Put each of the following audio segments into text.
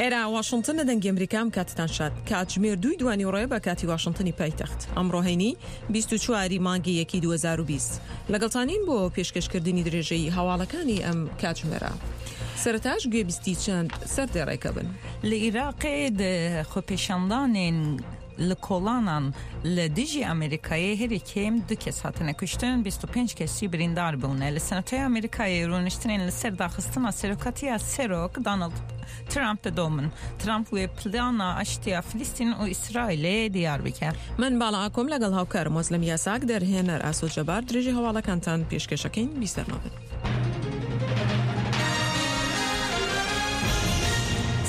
ئێرە واشنتن لە دەنگی ئەمریکا ئەم کاتتان شاد. کاتژمێر دووی دوانیوەڕۆیە بە کاتی واشنتنی پایتەخت. ئەمڕۆ هەینی 24 ی مانگی یەکی 2020. لەگەڵتانین بۆ پێشکەشکردنی درێژەی هەواڵەکانی ئەم کاتژمێرە. سەرەتاش گوێبیستی چەند سەردێڕێکە بن. لە ئیراقێ di xwepêşandanên li kolanan li dijî Amerîkayê herî kêm du kes hatine kuştin, 25 kes jî birîndar bûne. Li Senatoya Amerîkayê rûniştinên li ser daxistina serokatiya Serok Donald Trump didomin. Trump wê plana aştiya Filistîn û Îsraîlê diyar bike. من باڵا ئاکۆم لەگەڵ هاوکارم وەزلم یاساک دەرهێنەر ئاسۆ جەبار درێژەی هەواڵەکانتان پێشکەشەکەین بیسەرمابن.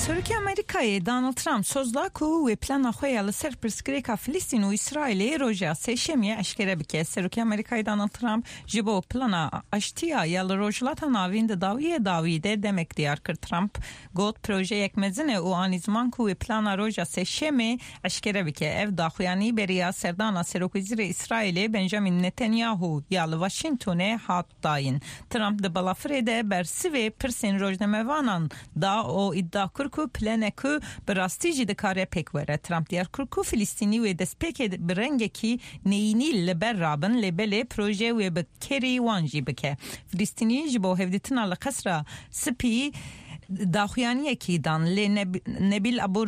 Serokê Amerîkayê Donald Trump soz da ku wê plana xwe ya li ser pirsgirêka Filistîn û Îsraîlê roja Sêşemiyê eşkere bike. Serokê Amerîkayê Donald Trump ji bo plana aştiya ya li Rojhilata Navîn di dawiyê dawî de demek diyar kir. Trump got projeyek mezin e û anî ziman ku wê plana roja Sêşemê eşkere bike. Ev daxuyanî beriya serdana Serokwezîrê Îsraîlê Benjamin Netanyahu ya li Washingtonê hat dayîn. Trump di balafirê de bersivê pirsên rojnamevanan da û îdia kir ku planek ku bi rastî jî dikare pêk were. Trump diyar kir ku Filistînî wê destpêkê bi rengekî neyînî li ber rabin lê belê proje wê bi kêrî wan jî bike. Filistînî ji bo hevdîtina li Qesra Spî daxuyaniyekî dan lê Nebîl Ebû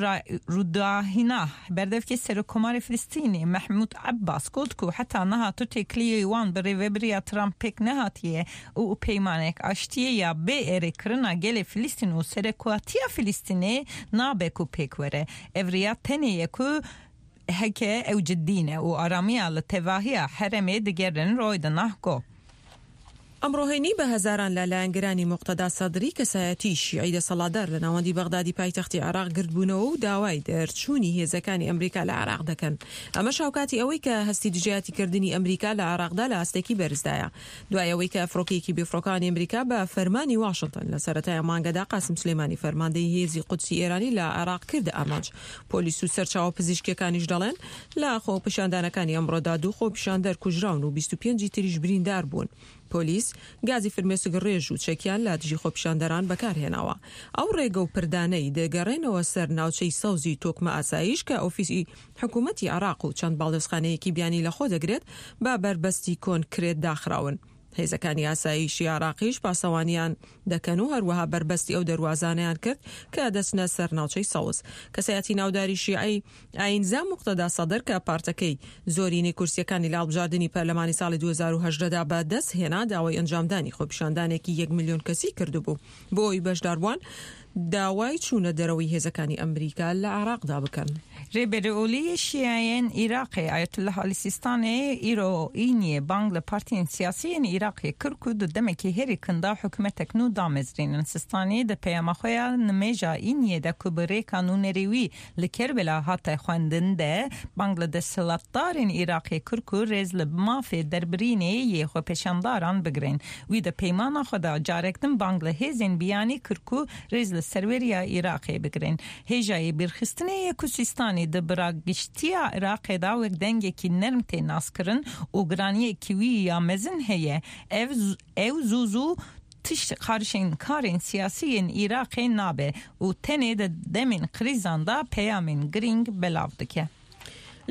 Rûdahîna berdevkê Serokkomarê Filistînê Mehmûd Ebbas got ku heta niha tu têkiliyê wan bi rêveberiya Trump pêk nehatiye û peymanek aştiyê ya bê erêkirina gelê Filistîn û serekatiya Filistînê nabe ku pêk were. Ev riya tenê ye ku heke ew cidî ne û aramiya li tevahiya herêmê digerin Roydenah got. ئەمڕۆ هەینی بە هەزاران لە لایەنگرانی موقتەدا سەدری کەسایەتیی شیعی دەسەڵاتدار لە ناوەندی بەغدادی پایتەختی عێراق گردبوونەوە و داوای دەرچوونی هێزەکانی ئەمریکا لە عێراق دەکەن. ئەمەش هاوکاتی ئەوەی کە هەستی دژایەتیکردنی ئەمریکا لە عێراقدا لە ئاستێکی بەرزدایە دوای ئەوەی کە فڕۆکەیەکی بێفڕۆکەوانی ئەمریکا بە فەرمانی واشنتن لە سەرەتای ئەم مانگەدا قاسم سولەیمانی فەرماندەی هێزی قودسی ئێرانی لە عێراق کردە ئامانج. پۆلیس و سەرچاوە پزیشکییەکانیش دەڵێن لە خۆپیشاندانەکانی ئەمڕۆدا دوو خۆپیشاندەر کوژراون و 25 ی تریش بریندار بوون. پۆلیس گازی فرمێسک ڕێژ و چەکیان لە دژی خۆپیشاندەران بەکارهێناوە. ئەو ڕێگە و پردانەی دەگەڕێنەوە سەر ناوچەی سەوزی تۆکمە ئاسایش کە ئۆفیسی حکوومەتی عێراق و چەند باڵیۆزخانەیەکی بیانی لەخۆ دەگرێت بە بەربەستی کۆنکرێت داخراون. هێزەکانی ئاسایشی عێراقیش پاسەوانیان دەکەن و هەروەها بەربەستی ئەو دەروازانەیان کرد کە دەچنە سەر ناوچەی سەوز. کەسایەتی ناوداری شیعەی ئایینزا موقتەدا سەدر کە پارتەکەی زۆرینەی کورسییەکانی لە هەڵبژاردنی پەرلەمانی ساڵی 2018 دا بە دەست هێنا داوای ئەنجامدانی خۆپیشاندانێکی یەک ملیۆن کەسی کردبوو بۆ ئەوەی بەشداربووان داوای چوونە دەرەوەی هێزەکانی ئەمریکا لە عێراقدا بکەن. Rêberê Olî yê Şîeyên Îraqê Ayetullah Alî Sîstanê îro Îniyê bang li partiyên siyasî yên Îraqê kir ku di demekî herî kin de hikûmetek nû damezrînin. Sistanî di peyama xwe ya nimêja Îniyê de ku bi rêka nûnerê wî li Kerbela hate xwendin de bang li desthilatdarên Îraqê kir ku rêz li mafê derbirînê yê xwepêşandaran bigirin. Wî di peymana xwe de carek din bang li hêzên biyanî kir ku rêz li serweriya Îraqê bigirin. Hêjayê bîrxistinê ye ku Sîstanî di biragiştiya Iraqê de wek dengekî nerm tê naskirin û giraniyekî wî ya mezin heye. Ev ew zû zû tişt qarişên karên siyasî yên Iraqê nabe û tenê di demên krîzan de peyamên girîng belav dike.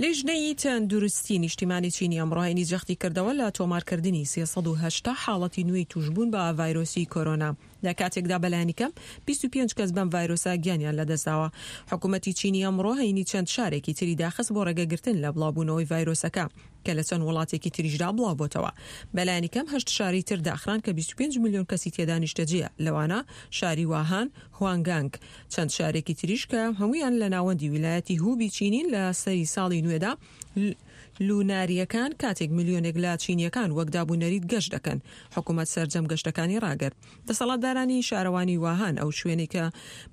لیژنەی تەندروستی نیشتیمانی چینی ئەمڕۆ هەینی جەختی کردەوە لە تۆمارکردنی 380 حاڵەتی نوێی تووشبوون بە ڤایرۆسی کۆرۆنا لە کاتێکدا بەلایەنیکەم 25 کەس بەم ڤایرۆسە گیانیان لەدەستداوە. حکومەتی چینی ئەمڕۆ هەینی چەند شارێکی تری داخست بۆ ڕێگەگرتن لە بڵاوبوونەوەی ڤایرۆسەکە کە لە چەند وڵاتێکی تریشدا بڵاوبۆتەوە. بەلایەنیکەم هەشت شاری تر داخران کە 25 ملیۆن کەسی تێدا نیشتەجێیە لەوانە شاری واهان، هوانگانگ، چەند شارێکی تریش کە هەموویان لە ناوەندی ویلایەتی هوبی چینین لە سەری ساڵی نوێدا لونارییەکان کاتێک ملیۆنێک لە چینییەکان وەک داب و نەریت گەشت دەکەن حکوومەت سەرجەم گەشتەکانی ڕاگرت. دەسەڵاتدارانی شارەوانی واهان ئەو شوێنەی کە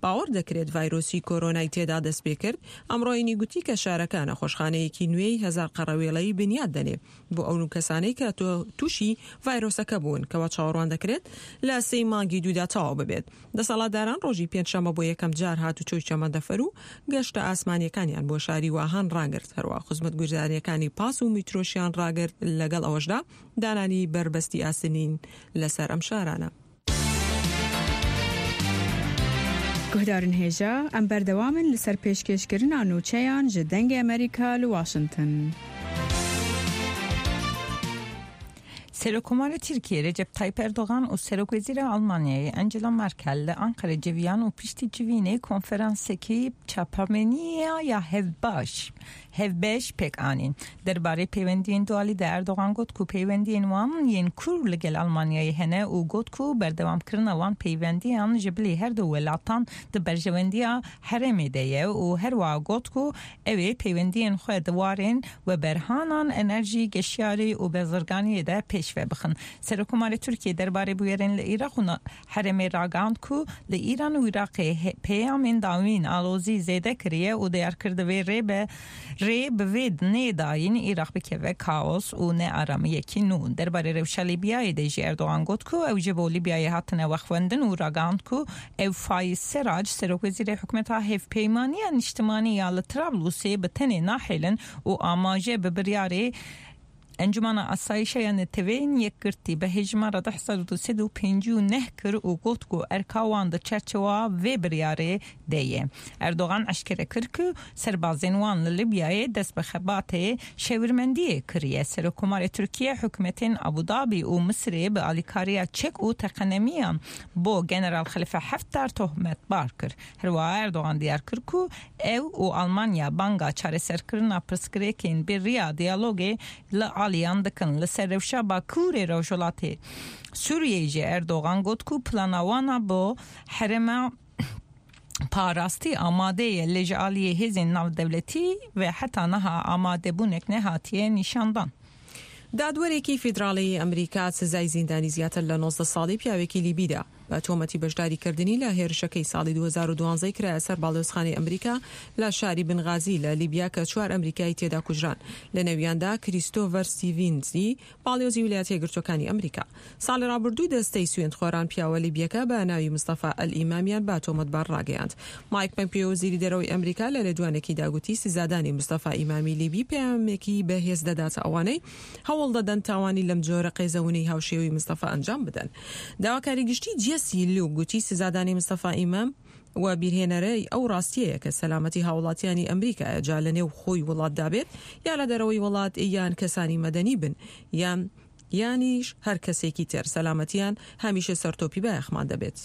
باوەڕ دەکرێت ڤایرۆسی کۆرۆنای تێدا دەستپێکرد ئەمڕۆ هەینی گوتی کە شارەکە نەخۆشخانەیەکی نوێی هەزار قەڕەوێڵەیی بنیات دەنێ بۆ ئەو کەسانەی کە تووشی ڤایرۆسەکە بوون کەوا چاوەڕوان دەکرێت لە سێی مانگی دوودا تەواو ببێت. دەسەڵاتداران ڕۆژی پێنجشەممە بۆ یەکەم جار هاتوچۆی شەمەندەفەر و گەشتە ئاسمانییەکانیان بۆ شاری واهان ڕاگرت، هەروەها خزمەتگوزارییەکانی پاس و میترۆشیان ڕاگرت، لەگەڵ ئەوەشدا دانانی بەربەستی ئاسنین لەسەر ئەم شارانە. Guhdarên hêja, em berdewam in li ser pêşkêşkirina nûçeyan ji Dengê Amerîka li Washington. Serokkomarê Tirkiyê Recep Tayyip Erdogan û Serokwezîra Almanyayê Angela Merkel li Enqerê civiyan û piştî civînê konferansekî çapameniya ya hevbaş hevbeş pêk anîn. Derbarê peywendiyên dualî de Erdogan got ku peywendiyên wan yên kûr li gel Almanyayê hene û got ku berdewamkirina wan peywendiyan ji bilî her du welatan di berjewendiya herêmê de ye û herwiha got ku ew ê peywendiyên xwe di warên weberhanan, enerjî, geşyarî û bezirganiyê de pêşve bixin. Serokkomarê Tirkiyê derbarê bûyerên li Îraq û herêmê ragihand ku li Îran û Iraqê peyamên dawîn alozî zêde kiriye û diyar kir divê rê be rê bi vê nê dayîn Iraq bikeve kaos û nearamiyekî nû. Derbarê rewşa Lîbyayê de jî Erdogan got ku ew ji bo Lîbyayê hatine wexwendin û ragihand ku ew Fayiz Serac serokwezîrê hikûmeta Hevpeymaniya Nîştimanî ya li Trablusê bi tenê nahêlin û amaje bi biryarê Encûmena Asayîşa ya Neteweyên Yekgirtî bi hejmara 2259 kir û got ku erka wan di çerçewa vê biryarê de ye. Erdogan eşkere kir ku serbazên wan li Libyayê dest bi xebatê şêwirmendiyê kiriye. Serokkomarê Tirkiye hikûmetên Abu Dabî û Misirê bi alîkariya çek û teqenemiyan bo General Xelife Hefter tohmetbar kir. Herwiha Erdogan diyar kir ku ew û Almanya banga çareserkirina pirsgirêkên bi riya diyalogê li aliyan dikin. Li ser rewşa Bakurê Rojhilatê Sûriyeyê jî Erdogan got ku plana wan a bo herêma parastî amade ye lê ji aliyê hêzên navdewletî ve heta niha amadebûnek nehatiye nîşandan. دادوەرێکی فیدراڵیی ئەمریکا سزای زیندانی زیاتر لە 19 ساڵی پیاوێکی لیبی دا بە تۆمەتی بەشداریکردنی لە هێرشەکەی ساڵی 2012 کرایە سەر باڵیۆزخانەی ئەمریکا لە شاری بنغازی لە لیبیا کە چوار ئەمریکایی تێدا کوژران لەنێویاندا کریستۆڤەر ستیڤینزی باڵیۆزی ویلایەتە یەکگرتووەکانی ئەمریکا. ساڵی ڕابردوو دەستەی سوێندخۆران پیاوە لیبیەکە بە ناوی مستەفا ئەلئیمامیان بە تۆمەتبار ڕاگەیاند. مایک پەمپیۆ وەزیری دەرەوەی ئەمریکا لە لێدوانێکیدا گوتی سزادانی مستەفا ئیمامی لیبی پەیامێکی بەهێز دەداتە ئەوانەی هەوڵ دەدەن تاوانی لەم جۆرە قێزەونەی هاوشێوەی مستەفا ئەنجام بدەن. داواکاری گشتی جێسی لوک گوتی سزادانی مستەفا ئیمام وەبیرهێنەرەی ئەو ڕاستیەیە کە سەلامەتی هاوڵاتیانی ئەمریکایە جا لە نێو خۆی وڵاتدا بێت یا لە دەرەوەی وڵات یان کەسانی مەدەنی بن یان یانیش هەر کەسێکی تر سەلامەتیان هەمیشە سەرتۆپی بایەخمان دەبێت.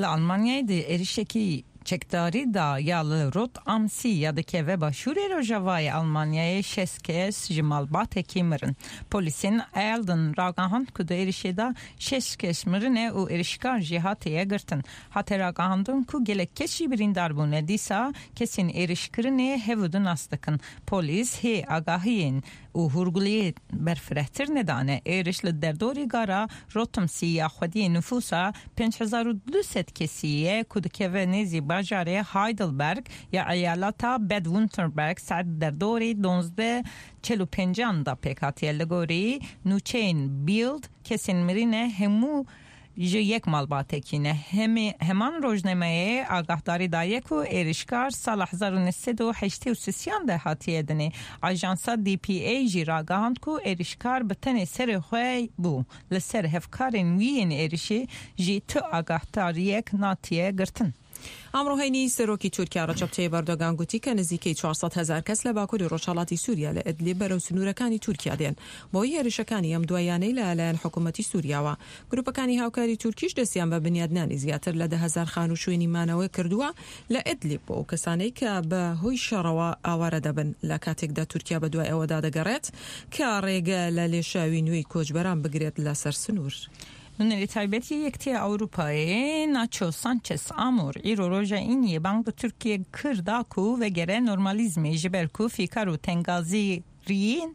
لە ئەڵمانیای di êrişekî çekdarî da ya li Rot am See ya dikeve başûrê rojavayê Almanyayê şeş kes ji malbatekî mirin. Polîsên Elden ragihand ku di êrişê de şeş kes mirine û êrişkar jî hatiye girtin. Hate ragihandin ku gelek kes jî birîndar bûne. Dîsa kesên êrişkirinê hev û du nas dikin. Polîs hê agahiyên û hûrguliyê berfirehtir nedane. Êriş li derdorî gara Rotemsî ya xwediyê nifûsa 5200 kesî ye ku dikeve nêzî bajarê Heidelberg ya eyaleta Bad-Württemberg saet derdorî donzdeh çel û pêncan da pêk hatiye. Li gorî nûçeyên Bild kesên mirîne hemû ji yek malbatekî ne. Heman rojnameyê agahdarî daye ku êrişkar sala 1983 de hatiye dinê. Ajansa DPA jî ragihand ku êrişkar bi tenê serê xwe bû. Li ser hevkarên wî yên êrişê jî tu agahdariyek natiye girtin. ئەمڕۆ هەینی سەرۆکی تورکیا ڕەجەب تەیب ئەردۆگان گوتی کە نزیکەی 400 هەزار کەس لە باکووری ڕۆژهەڵاتی سووریا لە ئیدلیب بەرەو سنوورەکانی تورکیا دێن بەهۆی هێرشەکانی ئەم دواییانەی لە لایەن حکوومەتی سووریاوە. گرووپەکانی هاوکاری تورکیش دەستیان بە بنیادنانی زیاتر لە 10,000 خانوو شوێنی مانەوە کردووە لە ئیدلیب بۆ ئەو کەسانەی کە بە هۆی شەڕەوە ئاوارە دەبن لە کاتێکدا تورکیا بەدوای ئەوەدا دەگەڕێت کە ڕێگە لە لێشاوی نوێی کۆچبەران بگرێت لەسەر سنوور. Nûnerê taybet yê Yekitiya Ewropayê Nacho Sanchez Amor îro roja Îniyê bang li Tirkiyê kir da ku vegere normalîzmê ji ber ku fîkar û tengazîriyên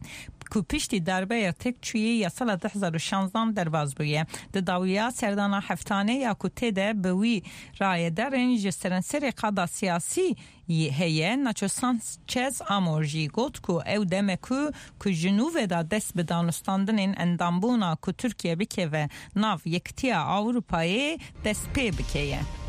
ku piştî darbeya têkçûyê ya sala 2016 derbas bûye. Di dawiya serdana heftane ya ku tê de bi wî rayedarên ji seranserê qada siyasî heye, Nacho Sanchez Amor jî got ku ew deme ku ku ji nû ve da dest bi danûstandinên endambûna ku Tirkiye bikeve nav Yekitiya Ewropayê dest pê bike ye.